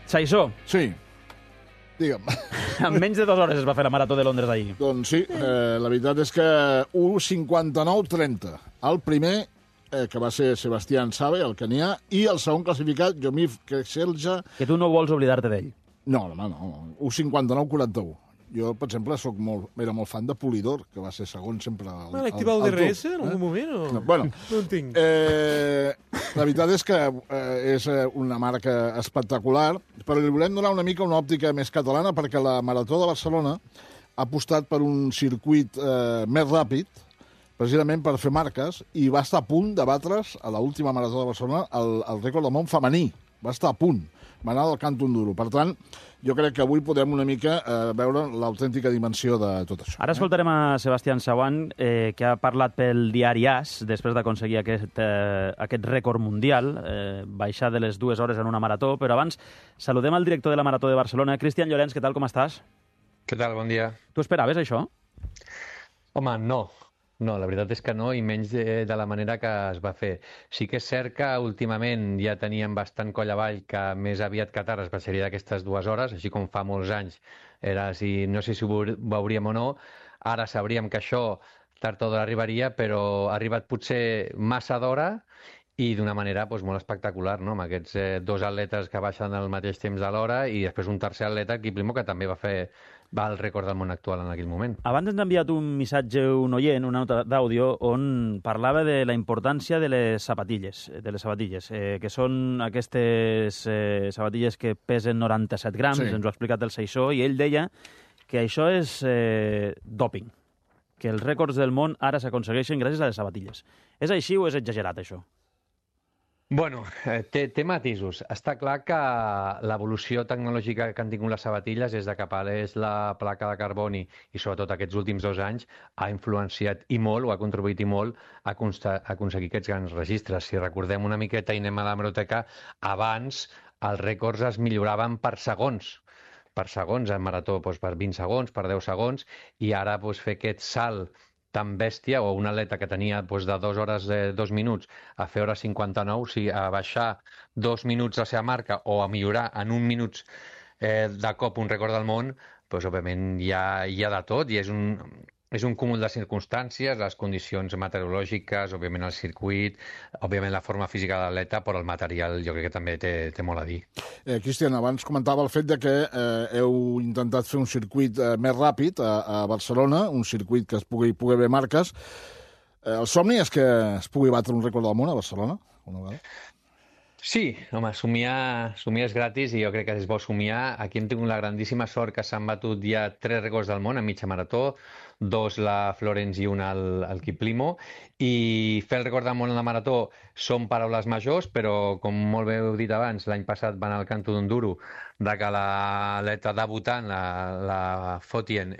Saissó, Sí, digue'm. en menys de 2 hores es va fer la Marató de Londres d'ahir. Doncs sí, la veritat és que 1:59:30. El primer, que va ser Sebastián Sabe, el kenià, i el segon classificat, Jomif Kekselja. Que tu no vols oblidar-te d'ell. No, home, no. 1:59:41. Jo, per exemple, era molt fan de Polidor, que va ser segon sempre al L'ha activat el DRS Tour, en algun moment? O... No, bueno, no en tinc. la veritat és que és una marca espectacular, però li volem donar una mica una òptica més catalana, perquè la Marató de Barcelona ha apostat per un circuit més ràpid, precisament per fer marques, i va estar a punt de batre's a l'última Marató de Barcelona el rècord del món femení. Va estar a punt. Va anar del Canton Duro. Per tant, jo crec que avui podem una mica veure l'autèntica dimensió de tot això. Ara escoltarem a Sebastián Sauan, que ha parlat pel diari AS, després d'aconseguir aquest rècord mundial, baixar de les 2 hores en una marató, però abans saludem al director de la Marató de Barcelona, Cristian Llorenç. Què tal, com estàs? Què tal? Bon dia. Tu esperaves això? Home, no. No, la veritat és que no, i menys de la manera que es va fer. Sí que és cert que últimament ja teníem bastant coll avall que més aviat que tard es passaria d'aquestes 2 hores, així com fa molts anys era si no sé si ho veuríem o no. Ara sabríem que això tard o d'hora arribaria, però ha arribat potser massa d'hora i d'una manera doncs, molt espectacular, no? Amb aquests 2 atletes que baixen al mateix temps de l'hora i després un tercer atleta, Kiplimo, que també va al rècord del món actual en aquell moment. Abans ens ha enviat un missatge un oient, una nota d'àudio, on parlava de la importància de les sabatilles, que són aquestes sabatilles que pesen 97 grams, ens ho ha explicat el Saissó, i ell deia que això és dòping, que els rècords del món ara s'aconsegueixen gràcies a les sabatilles. És així o és exagerat, això? Bueno, té matisos. Està clar que l'evolució tecnològica que han tingut les sabatilles des de que apareix la placa de carboni i sobretot aquests últims 2 anys ha influenciat i molt, o ha contribuït i molt a aconseguir aquests grans registres. Si recordem una miqueta i anem a l'hemeroteca, abans els rècords es milloraven per segons, en marató doncs per 20 segons, per 10 segons, i ara doncs, fer aquest salt tan bèstia, o un atleta que tenia doncs, de 2 hores 2 minuts a fer hora 59, o sigui, a baixar 2 minuts la seva marca o a millorar en 1 minut de cop un rècord del món, doncs, òbviament hi ha de tot, i és un cúmul de circumstàncies, les condicions meteorològiques, òbviament el circuit, òbviament la forma física de l'atleta, però el material jo crec que també té molt a dir. Cristian, abans comentava el fet de que heu intentat fer un circuit més ràpid a Barcelona, un circuit que es pugui haver marques. El somni és que es pugui batre un rècord del món a Barcelona? Una vegada? Sí, home, somiar és gratis i jo crec que és bo somiar. Aquí hem tingut la grandíssima sort que s'han batut ja 3 rècords del món en mitja marató, 2 la Florence i un el Kiplimo, i fer el rècord del món en la marató són paraules majors, però com molt bé heu dit abans, l'any passat va anar al Canto d'Enduro de que l'atleta debutant, la Fotien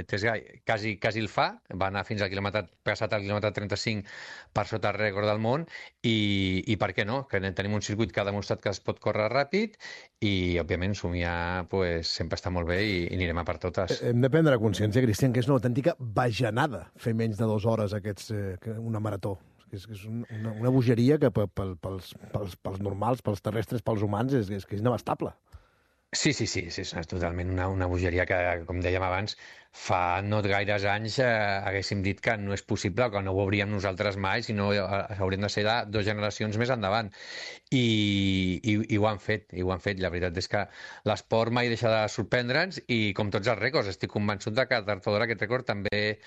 Tesgai, quasi el fa, va anar fins al passat al quilòmetre 35 per sota el rècord del món, i per què no? Que tenim un circuit que ha demostrat que es pot córrer ràpid i, òbviament, somiar sempre està molt bé i anirem a per totes. Hem de prendre consciència, Cristian, que és una autèntica bajanada fer menys de 2 hores una marató. És una bogeria que pels normals, pels terrestres, pels humans, és inabastable. Sí, és totalment una bogeria que, com dèiem abans, fa no gaires anys haguéssim dit que no és possible, que no ho hauríem nosaltres mai, sinó hauríem de ser de 2 generacions més endavant. I ho han fet, La veritat és que l'esport mai deixa de sorprendre'ns i, com tots els rècords, estic convençut de que tard o d'hora aquest rècord també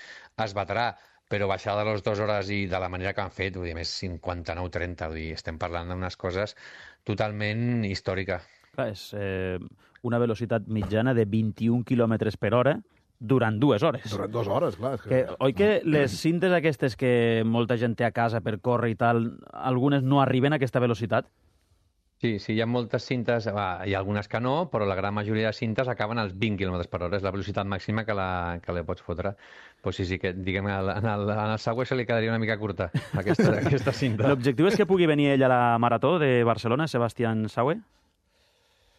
es batrà. Però baixar de les 2 hores i de la manera que han fet, vull dir, més 59-30, vull dir, estem parlant d'unes coses totalment històriques. Clar, és una velocitat mitjana de 21 km per hora durant 2 hores. Durant 2 hores, clar. Oi que les cintes aquestes que molta gent té a casa per córrer i tal, algunes no arriben a aquesta velocitat? Sí, hi ha moltes cintes, hi ha algunes que no, però la gran majoria de cintes acaben als 20 km per hora, és la velocitat màxima que li pots fotre. Pues sí, que diguem, en el Segway se li quedaria una mica curta, aquesta cinta. L'objectiu és que pugui venir ell a la Marató de Barcelona, Sebastián Saue?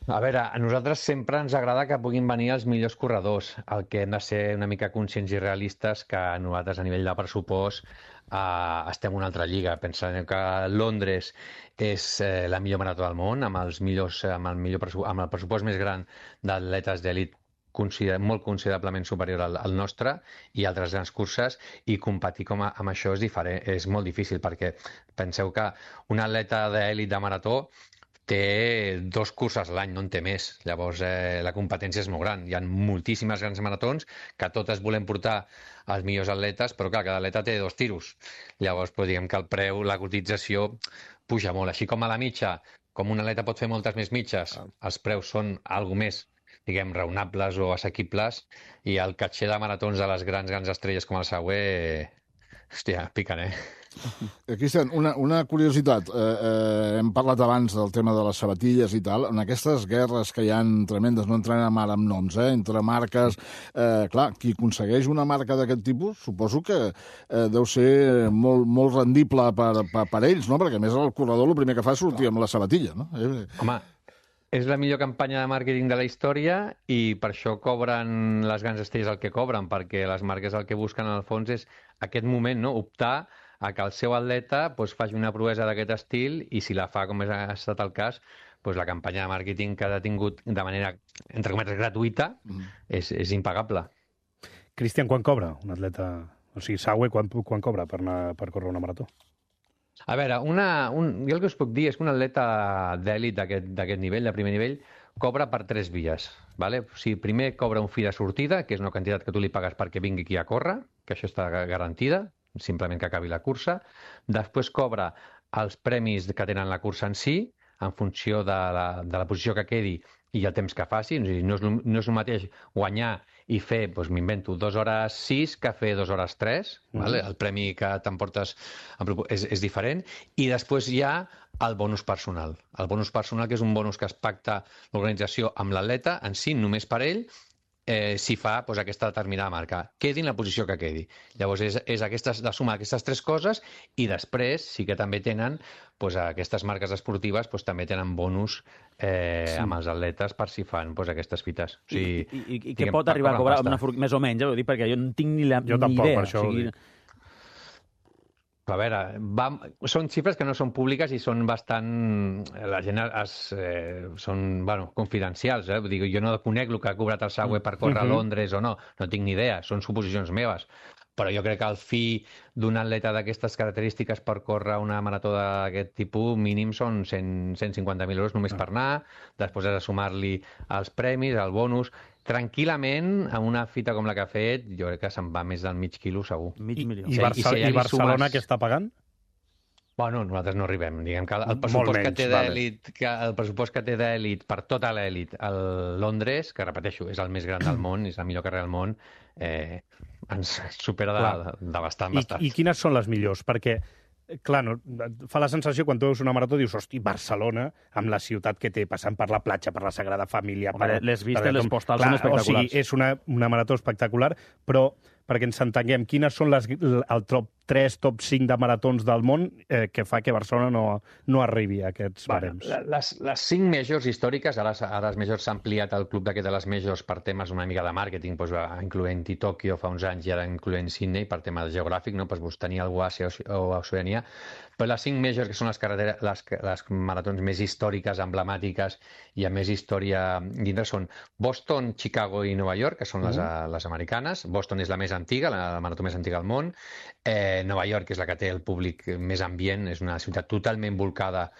A veure, a nosaltres sempre ens agrada que puguin venir els millors corredors. El que hem de ser una mica conscients i realistes que nosaltres a nivell de pressupost estem en una altra lliga. Pensem que Londres és la millor marató del món, amb amb el pressupost més gran d'atletes d'elit molt considerablement superior al nostre i altres grans curses, i competir amb això és diferent, és molt difícil, perquè penseu que un atleta d'elit de marató té 2 curses a l'any, no en té més. Llavors, la competència és molt gran. Hi ha moltíssimes grans maratons que totes volem portar els millors atletes, però clar, cada atleta té 2 tiros. Llavors, diguem que el preu, la cotització, puja molt. Així com a la mitja, com un atleta pot fer moltes més mitges, els preus són algo més, diguem, raonables o assequibles, i el caché de maratons de les grans estrelles com el Sauer, hòstia, piquen, Cristian, una curiositat. Hem parlat abans del tema de les sabatilles i tal. En aquestes guerres que hi ha tremendes, no entrenem ara amb noms, entre marques... Clar, qui aconsegueix una marca d'aquest tipus, suposo que deu ser molt rendible per ells, no? Perquè, a més, el corredor el primer que fa és sortir amb la sabatilla, no? Home, és la millor campanya de màrqueting de la història i per això cobren les grans estrelles el que cobren, perquè les marques el que busquen, al fons, és aquest moment, no? Optar a que el seu atleta faci una proesa d'aquest estil, i si la fa, com ha estat el cas, la campanya de màrqueting que ha tingut de manera, entre cometes, gratuïta, és impagable. Cristian, quan cobra un atleta? O sigui, Sauer, quan cobra per córrer una marató? A veure, jo el que us puc dir és que un atleta d'èlit d'aquest nivell, de primer nivell, cobra per 3 vies. Vale? O sigui, primer cobra un fi de sortida, que és una quantitat que tu li pagues perquè vingui aquí a córrer, que això està garantida, simplement que acabi la cursa. Després cobra els premis que tenen la cursa en si, en funció de la posició que quedi i el temps que faci. No és el mateix guanyar i fer, m'invento, 2 hores 6 que fer 2 hores 3. Vale? El premi que t'emportes és diferent. I després hi ha el bonus personal. El bonus personal, que és un bonus que es pacta l'organització amb l'atleta en si, només per ell, si fa aquesta determinada marca, quedi en la posició que quedi. Llavors és la suma d'aquestes 3 coses, i després sí que també tenen aquestes marques esportives, també tenen bonus amb els atletes per si fan aquestes fites. O sigui, I què pot arribar a cobrar més o menys? Perquè jo no tinc ni idea. Jo tampoc, per això ho dic. A veure, són xifres que no són públiques i són bastant... La gent són confidencials. Vull dir, jo no conec el que ha cobrat el Sauer per córrer a Londres o no. No tinc ni idea, són suposicions meves. Però jo crec que el fi d'un atleta d'aquestes característiques per córrer una marató d'aquest tipus mínim són 150.000 euros només per anar. Després has de sumar-li els premis, el bonus... Tranquil·lament, amb una fita com la que ha fet, jo crec que se'n va més del mig quilo, segur. I Barcelona què està pagant? Bueno, nosaltres no arribem. Diguem que el pressupost que té d'èlit, el pressupost que té d'èlit per tota l'èlit a Londres, que repeteixo, és el més gran del món, és la millor carrera del món, ens supera de bastant. I quines són les millors? Perquè clar, no, fa la sensació quan tu veus una marató, dius, hosti, Barcelona, amb la ciutat que té, passant per la platja, per la Sagrada Família... Home, les vistes, les postals són espectaculars. O sigui, és una marató espectacular, però perquè ens entenguem, quines són el top 3, top 5 de maratons del món que fa que Barcelona no arribi a aquests barems? Les 5 majors històriques, ara les majors s'ha ampliat el club de les majors per temes una mica de màrqueting, incloent-hi Tòquio fa uns anys i ara incloent Sydney per tema geogràfic, tenir algú a Àsia o a Oceania. Però les 5 majors, que són les maratons més històriques, emblemàtiques i amb més història dintre, són Boston, Chicago i Nova York, que són les americanes. Boston és la més antiga, la marató més antiga del món. Nova York, que és la que té el públic més ambient, és una ciutat totalment volcada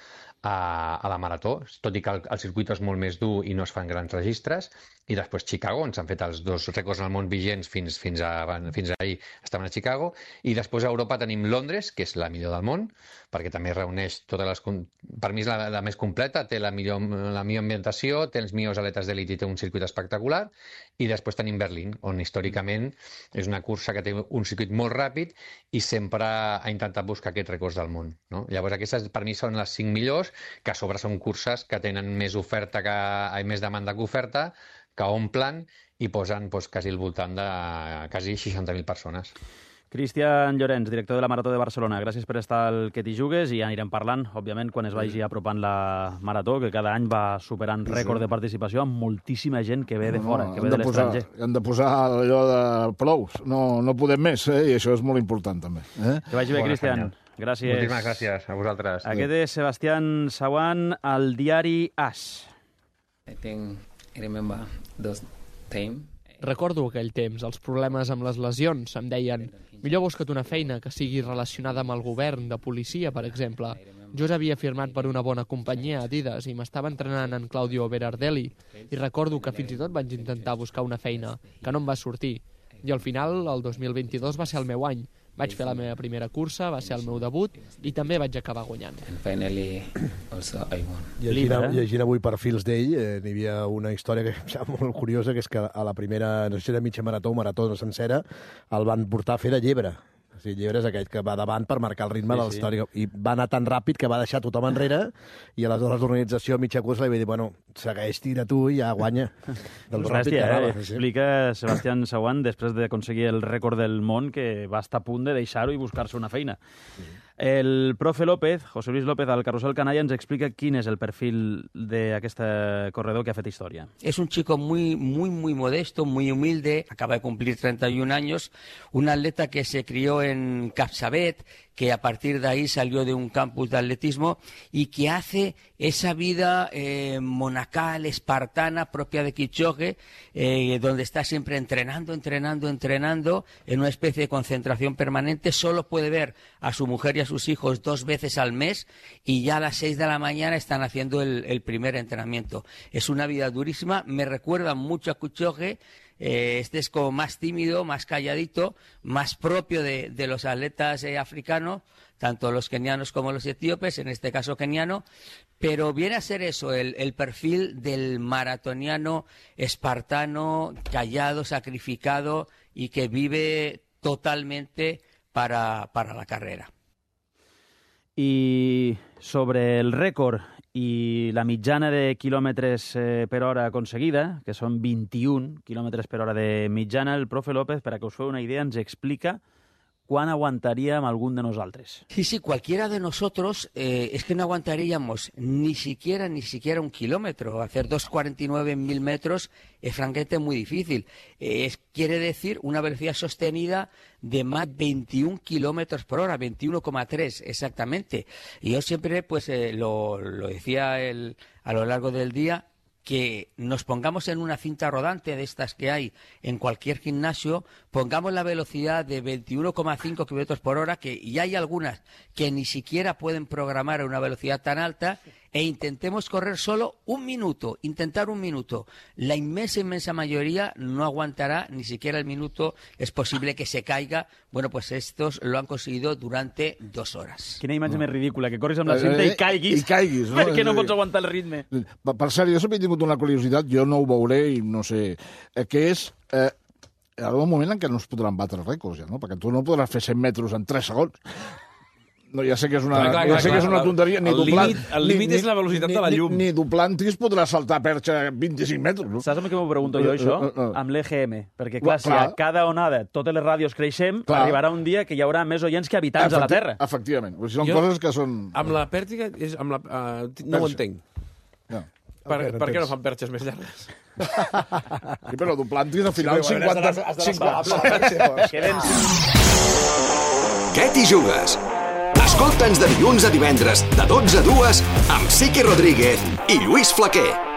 a la marató, tot i que el circuit és molt més dur i no es fan grans registres. I després Chicago, on s'han fet els 2 rècords al món vigents fins ahir, estaven a Chicago. I després a Europa tenim Londres, que és la millor del món, perquè també reuneix totes les... Per mi és la més completa, té la millor ambientació, té els millors atletes d'elit i té un circuit espectacular. I després tenim Berlín, on històricament és una cursa que té un circuit molt ràpid i sempre ha intentat buscar aquests rècords del món, no? Llavors aquestes per mi són les 5 millors, que a sobre són curses que tenen més més demanda que oferta, que omplen i posen quasi al voltant de quasi 60.000 persones. Cristian Llorenç, director de la Marató de Barcelona, gràcies per estar al Que t'hi jugues i ja anirem parlant, òbviament, quan es vagi apropant la Marató, que cada any va superant rècord de participació amb moltíssima gent que ve de fora, que ve de l'estranger. Hem de posar allò de prous, no podem més, i això és molt important també. Que vagi bé, Cristian. Gràcies. Moltíssimes gràcies a vosaltres. Aquest és Sebastián Sauan, al diari AS. Recordo aquell temps, els problemes amb les lesions. Em deien, millor busca't una feina que sigui relacionada amb el govern, de policia, per exemple. Jo havia firmat per una bona companyia, Adidas, i m'estava entrenant en Claudio Berardelli. I recordo que fins i tot vaig intentar buscar una feina, que no em va sortir. I al final, el 2022 va ser el meu any. Vaig fer la meva primera cursa, va ser el meu debut, i també vaig acabar guanyant. Llegint avui perfils d'ell, n'hi havia una història que em sembla molt curiosa, que és que a la primera, no sé si era mitja marató o marató sencera, el van portar a fer de llebre. O sigui, llebre és aquell que va davant per marcar el ritme de la història. I va anar tan ràpid que va deixar tothom enrere i aleshores l'organització a mitja cursa li va dir, bueno, segueix, tira tu i ja guanya. Del ràpid que anava. Explica Sebastián Sauan, després d'aconseguir el rècord del món, que va estar a punt de deixar-ho i buscar-se una feina. El profe López, José Luis López, al Carrusel Canalla, ens explica quin és el perfil d'aquest corredor que ha fet història. Es un chico muy modesto, muy humilde, acaba de cumplir 31 años, un atleta que se crió en Capçavet, que a partir de ahí salió de un campus de atletismo y que hace esa vida monacal, espartana, propia de Kipchoge, donde está siempre entrenando, en una especie de concentración permanente. Solo puede ver a su mujer y a sus hijos 2 veces al mes y ya a las 6 de la mañana están haciendo el primer entrenamiento. Es una vida durísima, me recuerda mucho a Kipchoge. Este es como más tímido, más calladito, más propio de los atletas africanos, tanto los kenianos como los etíopes, en este caso keniano, pero viene a ser eso, el perfil del maratoniano espartano, callado, sacrificado y que vive totalmente para la carrera. I sobre el rècord i la mitjana de quilòmetres per hora aconseguida, que són 21 quilòmetres per hora de mitjana, el profe López, per a que us feu una idea, ens explica quan aguantaríem algun de nosaltres. Sí, cualquiera de nosotros es que no aguantaríamos ni siquiera 1 kilómetro. Hacer 2:49 en 1000 metros es francamente muy difícil. Quiere decir una velocidad sostenida de más de 21 kilómetros por hora, 21,3 exactamente. Y yo siempre pues lo decía a lo largo del día, que nos pongamos en una cinta rodante de estas que hay en cualquier gimnasio, pongamos la velocidad de 21,5 kilómetros por hora, que y hay algunas que ni siquiera pueden programar a una velocidad tan alta, e intentemos correr solo 1 minuto, intentar 1 minuto. La inmensa mayoría no aguantará ni siquiera el minuto, es posible que se caiga. Bueno, pues estos lo han conseguido durante 2 horas. Quina imatge més ridícula, que corris amb la cinta i caiguis. I caiguis, no? Perquè no pots aguantar el ritme. Per cert, jo sempre he tingut una curiositat, jo no ho veuré i no sé, que és... Hi ha un moment en què no es podran batre rècords, ja, no? Perquè tu no podràs fer 100 metres en 3 segons. No, ja sé que és una, que és una tonteria. El límit és la velocitat de la llum. Ni Duplantis podrà saltar perxa 25 metres. No? Saps amb què m'ho pregunto jo, això? Amb l'EGM. Perquè, clar, si a cada onada totes les ràdios creixem, arribarà un dia que hi haurà més oients que habitants a la Terra. Efectivament. Són coses que són... Amb la pèrtiga, no ho entenc. Per què no fan perxes més llargues? Sí, però Duplantis al final 50... Què t'hi jugues? Escolta'ns de dilluns a divendres, de 12 a 2, amb Sique Rodríguez i Lluís Flaquer.